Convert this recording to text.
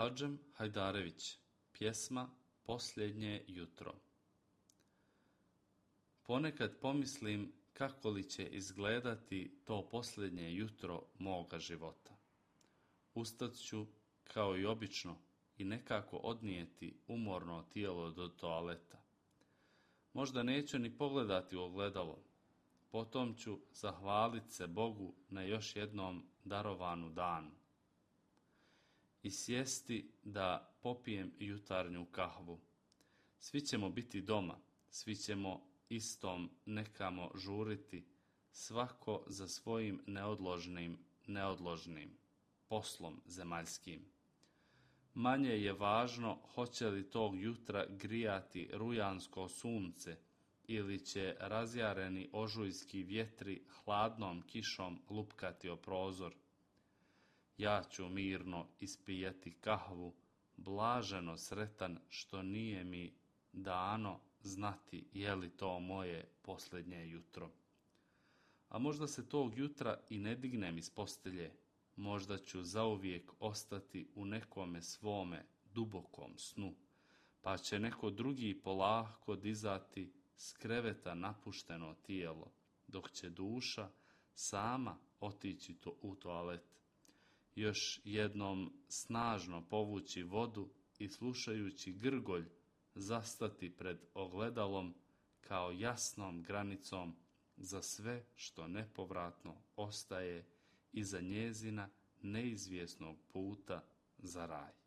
Hadžem Hajdarević, pjesma Posljednje jutro. Ponekad pomislim kako li će izgledati to posljednje jutro moga života. Ustat ću, kao i obično, i nekako odnijeti umorno tijelo do toaleta. Možda neću ni pogledati u ogledalo. Potom ću zahvalit se Bogu na još jednom darovanu danu i sjesti da popijem jutarnju kahvu. Svi ćemo biti doma, svi ćemo istom nekamo žuriti, svako za svojim neodložnim poslom zemaljskim. Manje je važno hoće li tog jutra grijati rujansko sunce ili će razjareni ožujski vjetri hladnom kišom lupkati o prozor. Ja ću mirno ispijati kahvu, blaženo sretan što nije mi dano znati je li to moje posljednje jutro. A možda se tog jutra i ne dignem iz postelje, možda ću zauvijek ostati u nekome svome dubokom snu, pa će neko drugi polako dizati s kreveta napušteno tijelo, dok će duša sama otići u toalet. Još jednom snažno povući vodu i slušajući grgolj zastati pred ogledalom kao jasnom granicom za sve što nepovratno ostaje iza njezina neizvjesnog puta za raj.